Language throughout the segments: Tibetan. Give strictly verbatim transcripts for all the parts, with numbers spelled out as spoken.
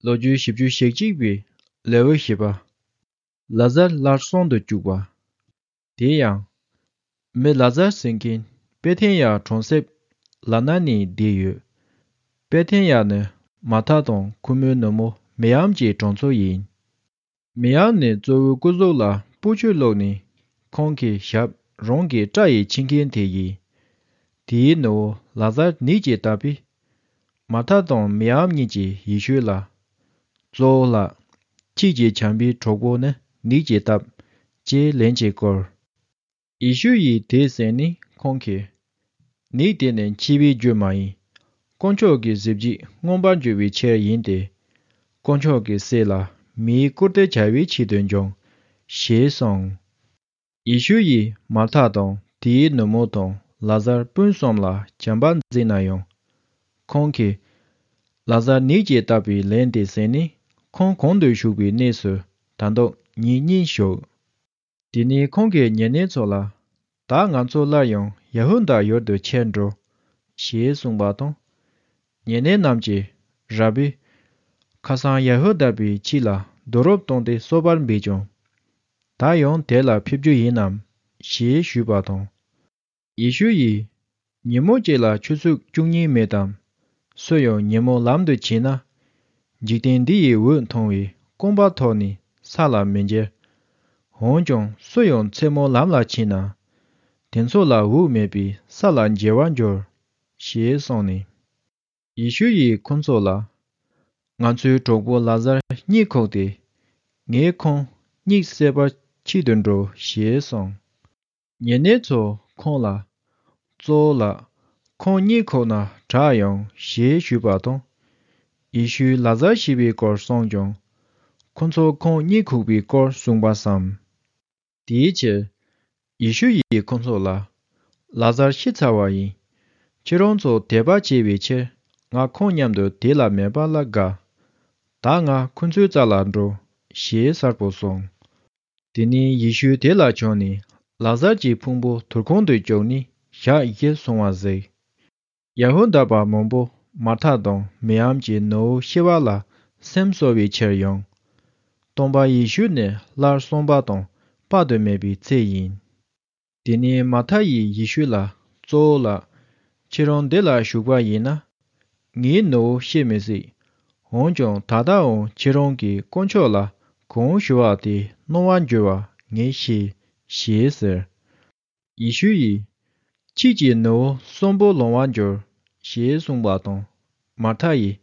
ལོ་རྒྱུས་བཞི་བཅུ་ཞེ་གཅིག་པའི་ལེའུ་བཞི་པ། ལ་ཟར་སླར་གསོན་དུ་བཅུག་པ། དེ་ཡང་། མི་ལ་ཟར་ཟེར་མཁན་པེ་ཐན་ཡ་གྲོང་གསེབ་ལ་ན་ནས་བསྡད་ཡོད། པེ་ཐན་ཡ་ནི་མར་ཐ་དང་ཁོ་མོའི་ནུ་མོ་མིར་ཡམ་གྱི་གྲོང་ཚོ་ཡིན། མིར་ཡམ་ནི་གཙོ་བོའི་སྐུ་གཟུགས་ལ་སྤོས་ཆུ་བླུགས་ནས་ཁོང་གི་ཞབས་རང་གི་སྐྲ་ཡིས་ཕྱིས་མཁན་དེ་ཡིན། དེའི་ནུ་བོ་ལ་ཟར་ནད་ཀྱིས་བཏབ་པས། མར་ཐ་དང་མིར་ཡམ་གཉིས་ཀྱིས་ཡེ་ཤུ་ལ། གཙོ་བོ་ལགས། ཁྱེད་ཀྱི་བྱམས་པའི་གྲོགས་པོ་ནི་ནད་ཀྱིས་བཏབ། ཅེས་ལན་གཅིག་བསྐུར། ཡེ་ཤུ་ཡིས་དེ་གསན་ནས་ཁོང་གིས། ནད་དེ་ནི་འཆི་བའི་རྒྱུ་མ་ཡིན། དཀོན་མཆོག་གི་གཟི་བརྗིད་མངོན་པར་འགྱུར་བའི་ཕྱིར་ཡིན་ཏེ། དཀོན་མཆོག་གི་སྲས་ལ་མིའི་སྐུར་སྟོན་བྱ་བའི་ཆེད་དུ་འབྱུང་། ཞེས་གསུངས། ཡེ་ཤུ་ཡིས་མར་ཐ་དང་དེའི་ནུ་མོ་དང་ལ་ཟར་སྤུན་གསུམ་ལ་བྱམས་པ་མཛད་ན་ཡང་། ཁོང་གིས་ལ་ཟར་ནད་ཀྱིས་བཏབ་པའི་ལན་དེ་གསན་ནས་ཁོང་གོང་དུ་བཞུགས་པའི་གནས་སུ་ད་དུང་ཉིན་གཉིས་བཞུགས། དེ་ནས་ཁོང་གིས་ཉེ་གནས་ཚོ་ལ། ད་ང་ཚོ་སླར་ཡང་ཡ་ཧུ་དཱ་ཡུལ་དུ་ཁྱེར་འགྲོ། ཞེས་གསུངས་པ་དང་། ཉེ་གནས་རྣམས་ཀྱིས། ར་བི། ཁ་སང་ཡ་ཧུ་དཱ་པའི་ཁྱི་ལ་རྡོ་རུབ་བཏང་སྟེ་གསོད་པར་འབད་ཀྱང་། ད་ཡང་དེ་ལ་ཕེབས་རྒྱུ་ཡིན་ནམ། ཞེས་ཞུས་པ་དང་། ཡེ་ཤུ་ཡིས། ཉིན་མོ་གཅིག་ལ་ཆུ་ཚོད་བཅུ་གཉིས་མེད་དམ། སུ་ཡང་ཉིན་མོ་ལམ་དུ་ཕྱིན་ན། འཇིག་རྟེན་འདི་ཡི་འོད་མཐོང་བའི་རྐང་པ་ཐོག་ནས་ས་ལ་མི་འགྱེལ། འོན་ཀྱང་སུ་ཡང་མཚན་མོ་ལམ་ལ་ཕྱིན་ན། དེ་ཚོ་ལ་འོད་མེད་པས་ས་ལ་འགྱེལ་བར་འགྱུར། ཞེས་གསུངས་ནས། ཡེ་ཤུ་ཡིས་ཁོ་ཚོ་ལ། ང་ཚོའི་གྲོགས་པོ་ལ་ཟར་གཉིད་ཁུག་སྟེ། ངས་ཁོང་གཉིད་སད་པར་ཆེད་དུ་འགྲོ། ཞེས་གསུངས། ཉེ་གནས་ཚོ་ཁོང་ལ། གཙོ་བོ་ལགས། ཁོང་གཉིད་ཁུག་ན་དྲག་ཡོང་། ཞེས་ཞུས་པ་དང་། ཡེ་ཤུས་ལ་ཟར་ཤི་བའི་སྐོར་གསུངས་ཀྱང་། ཁོ་ཚོ་ཁོང་གཉིད་ཁུག་པའི་སྐོར་གསུངས་པ་བསམ། དེའི་ཕྱིར། ཡེ་ཤུ་ཡིས་ཁོ་ཚོ་ལ། ལ་ཟར་ཤི་ཚར་བ་ཡིན། ཁྱེད་རང་ཚོ་དད་པ་བྱེད་པའི་ཕྱིར་ང་ཁོང་མཉམ་དུ་དེ་ལ་མེད་པ་ལ་དགའ། ད་ང་ཁོ་ཚོའི་རྩ་ལ་འགྲོ། ཞེས་གསལ་པོ་གསུངས། དེ་ནས་ཡེ་ཤུ་དེ་ལ་བྱོན་ནས་ལ་ཟར་གྱི་ཕུང་པོ་དུར་ཁུང་དུ་བཅུག་ནས་ཞག་བཞི་སོང་བ་གཟིགས། ཡ་ཧུ་དཱ་པ་མང་པོ་མར་ཐ་དང་མིར་ཡམ་གྱི་ནུ་བོ་ཤི་བ་ལ་སེམས་གསོ་བའི་ཕྱིར་ཡོང་། སྟོན་པ་ཡེ་ཤུ་ནི་སླར་གསོན་པ་དང་དཔག་ཏུ་མེད་པའི་ཚེ་ཡིན། དེ་ནས་མར་ཐ་ཡིས་ཡེ་ཤུ་ལ། གཙོ་བོ་ལགས། ཁྱེད་རང་འདི་ལ་བཞུགས་པ་ཡིན་ན། ངའི་ནུ་བོ་ཤི་མི་སྲིད། འོན་ཀྱང་ད་ལྟའང་ཁྱེད་རང་གིས་དཀོན་མཆོག་ལ་གང་ཞུ་བ་དེ་གནང་བར་འགྱུར་བ་ངས་ཤེས། ཞེས་ཟེར། ཡེ་ཤུ་ཡིས། ཁྱེད་ཀྱི་ནུ་བོ་གསོན་པོ་ལོང་བར་འགྱུར། ཞེས་གསུངས་པ་དང་། མར་ཐ་ཡིས།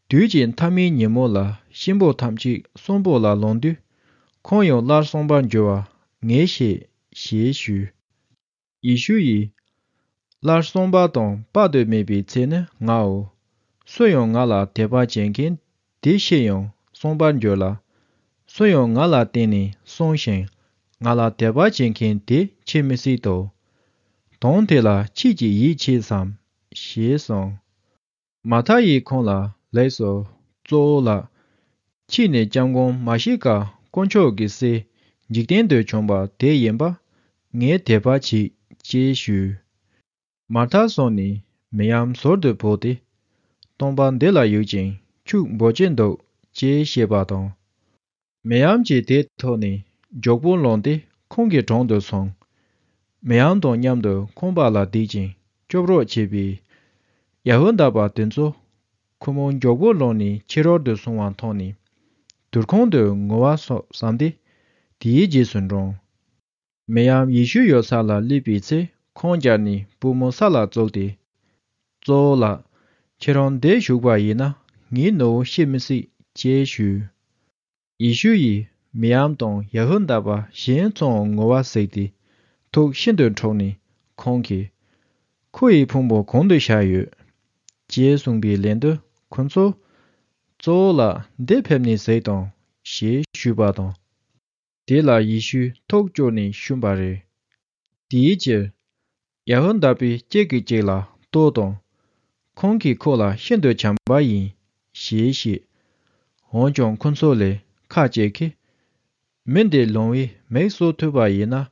དུས་ཀྱི་མཐའ་མའི་ཉིན་མོ་ལ་གཤིན་པོ་ཐམས་ཅད་གསོན་པོ་ལ་ལོངས་དུས། ཁོང་ཡང་སླར་གསོན་པར་འགྱུར་བ་ངས་ཤེས། ཞེས་ཞུས། ཡེ་ཤུ་ཡིས། སླར་གསོན་པ་དང་དཔག་ཏུ་མེད་པའི་ཚེ་ནི་ངའོ། སུ་ཡང་ང་ལ་དད་པ་བྱེད་མཁན་དེ་ཤི་ཡང་གསོན་པར་འགྱུར་ལ། སུ་ཡང་ང་ལ་བརྟེན་ནས་གསོན་ཞིང་ང་ལ་དད་པ་བྱེད་མཁན་དེ་འཆི་མི་སྲིད་དོ། དོན་དེ་ལ་ཁྱེད་ཀྱིས་ཡིད་ཆེས་སམ། ཞེས་གསུངས། མར་ཐ་ཡིས་ཁོང་ལ་ལེགས་སོ། གཙོ་བོ་ལགས། ཁྱེད་ནི་སྐྱབས་མགོན་མཱ་ཤི་ཀ་དཀོན་མཆོག་གི་སྲས་འཇིག་རྟེན་དུ་བྱོན་པ་དེ་ཡིན་པ་ངས་དད་པ་བྱེད། ཅེས་ཞུས། མར་ཐ་སོང་ནས་མིར་ཡམ་ཟུར་དུ་བུད་དེ། སྟོན་པ་འདི་ལ་ཡོད་ཅིང་ཁྱོད་འབོད་ཀྱིན་འདུག་ཅེས་བཤད་པ་དང་། མིར་ཡམ་གྱིས་དེ་ཐོས་ནས་མགྱོགས་པོ་ལངས་ཏེ་ཁོང་གི་དྲུང་དུ་སོང་། མིར་ཡམ་དང་མཉམ་དུ་ཁང་པ་ལ་བསྡད་ཅིང་སྐྱོབ་རོགས་བྱས་པས། ཡ་ཧུ་དཱ་པ་དེ་ཚོ་ཁོ་མོ་མགྱོགས་པོ་ལངས་ནས་ཁྱེད་རོགས་དུ་སོང་བ་མཐོང་ནས་དུར་ཁུང་དུ་ངུ་བ་སོགས་བསམས་ཏེ་དེའི་རྗེས་སུ་འབྲངས། མིར་ཡམ་ཡེ་ཤུ་ཡོད་ས་ལ་སླེབས་པའི་ཚེ་ཁོང་རྒྱབ་ནས་པུས་མོ་ས་ལ་བཙུགས་ཏེ། གཙོ་བོ་ལགས། ཁྱེད་རང་འདིར་བཞུགས་པ་ཡིན་ན་ངའི་ནུ་བོ་ཤི་མི་སྲིད། ཅེས་ཞུས། ཡེ་ཤུ་ཡིས་མིར་ཡམ་དང་ཡ་ཧུ་དཱ་པ་གཞན་ཚོའང་ངུ་བ་གཟིགས་ཏེ་ཐུགས་ཤིན་ཏུ་འཁྲུགས་ནས་ཁོང་གིས། ཁོ་ཡི་ཕུང་པོ་གང་དུ་བཞག་ཡོད། ཅེས་གསུངས་པའི་ལན་དུ་ཁོ་ཚོས། གཙོ་བོ་ལགས། འདིར་ཕེབས་ནས་གཟིགས་དང་། ཞེས་ཞུས་པ་དང་། དེ་ལ་ཡེ་ཤུས་ཐུགས་སྐྱོ་ནས་བཤུམས་པ་རེད། དེའི་ཕྱིར། ཡ་ཧུ་དཱ་པས་གཅིག་གིས་གཅིག་ལ་ལྟོས་དང་། ཁོང་གིས་ཁོ་ལ་ཤིན་ཏུ་བྱམས་པ་ཡིན། ཞེས་བཤད། འོན་ཀྱང་ཁོ་ཚོ་ལས་ཁ་ཅིག་གིས། མི་འདི་ལོང་བས་མིག་གསོ་ཐུབ་པ་ཡིན་ན།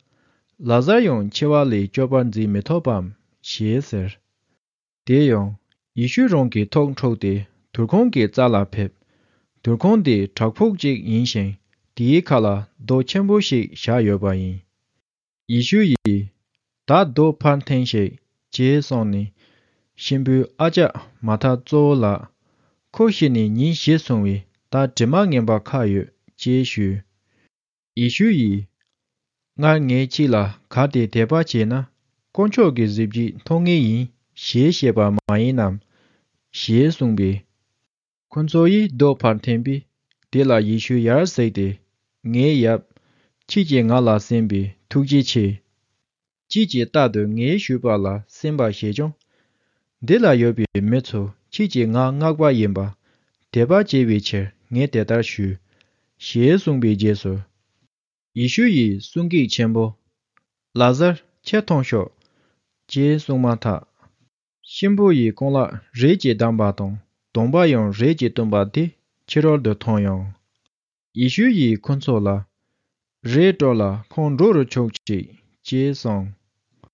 ལ་ཟར་ཡང་འཆི་བ་ལས་སྐྱོབ་པར་མཛད་མི་ཐུབ་བམ། ཞེས་ཟེར། དེ་ཡང་ཡེ་ཤུ་རང་གི་ཐུགས་འཁྲུགས་ཏེ་དུར་ཁུང་གི་རྩ་ལ་ཕེབས། དུར་ཁུང་དེ་བྲག་ཕུག་ཅིག་ཡིན་ཞིང་། དེའི་ཁ་ལ་རྡོ་ཆེན་པོ་ཞིག་བཞག་ཡོད་པ་ཡིན། ཡེ་ཤུ་ཡིས། ད་རྡོ་ཕར་འཐེན་ཞིག་ཅེས་གསུངས་ནས། གཤིན་པོའི་ཨ་ཅག་མར་ཐ་གཙོ་བོ་ལགས། ཁོ་ཤི་ནས་ཉིན་བཞི་སོང་བས། ད་དྲི་མ་ངན་པ་ཁག་ཡོད་ཅེས་ཞུས། ཡེ་ཤུ་ཡིས། སྔར་ངས་ཁྱེད་ལ་གལ་ཏེ་དད་པ་བྱས་ན། དཀོན་མཆོག་གི་གཟི་བརྗིད་མཐོང་ངེས་ཡིན་ཞེས་བཤད་པ་མ་ཡིན་ནམ། ཞེས་གསུངས་པས། ཁོ་ཚོ་ཡིས་རྡོ་ཕར་འཐེན་པས། དེ་ལ་ཡེ་ཤུ་ཡར་གཟིགས་ཏེ། ངའི་ཡབ། ཁྱེད་ཀྱིས་ང་ལ་གསན་པས་ཐུགས་རྗེ་ཆེ། ཁྱེད་ཀྱིས་རྟག་ཏུ་ངའི་ཞུས་པ་ལ་གསན་པར་བྱེད་ཀྱང་། འདི་ལ་ཡོད་པའི་མི་ཚོ་ཁྱེད་ཀྱིས་ང་མངགས་པ་ཡིན་པ་དད་པ་བྱེད་པའི་ཕྱིར་ངས་དེ་ལྟར་ཞུས། ཞེས་གསུངས་པའི་རྗེས་སུ། ཡེ་ཤུ་ཡིས་གསུང་སྐད་ཆེན་པོ། ལ་ཟར་ཁྱེར་ཐོངས་ཤོག་ཅེས་གསུངས་མ་ཐག་གཤིན་པོ་ཡི་རྐང་ལག་རས་ཀྱིས་བསྡམས་པ་དང་གདོང་པ་ཡང་རས་ཀྱིས་བཏུམས་པ་དེ་ཕྱི་རོལ་དུ་ཐོན་ཡང་། ཡེ་ཤུ་ཡིས་ཁོ་ཚོ་ལ། རས་དཀྲོལ་ལ་ཁོང་འགྲོ་རུ་ཆུག་ཅིག་ཅེས་གསུངས།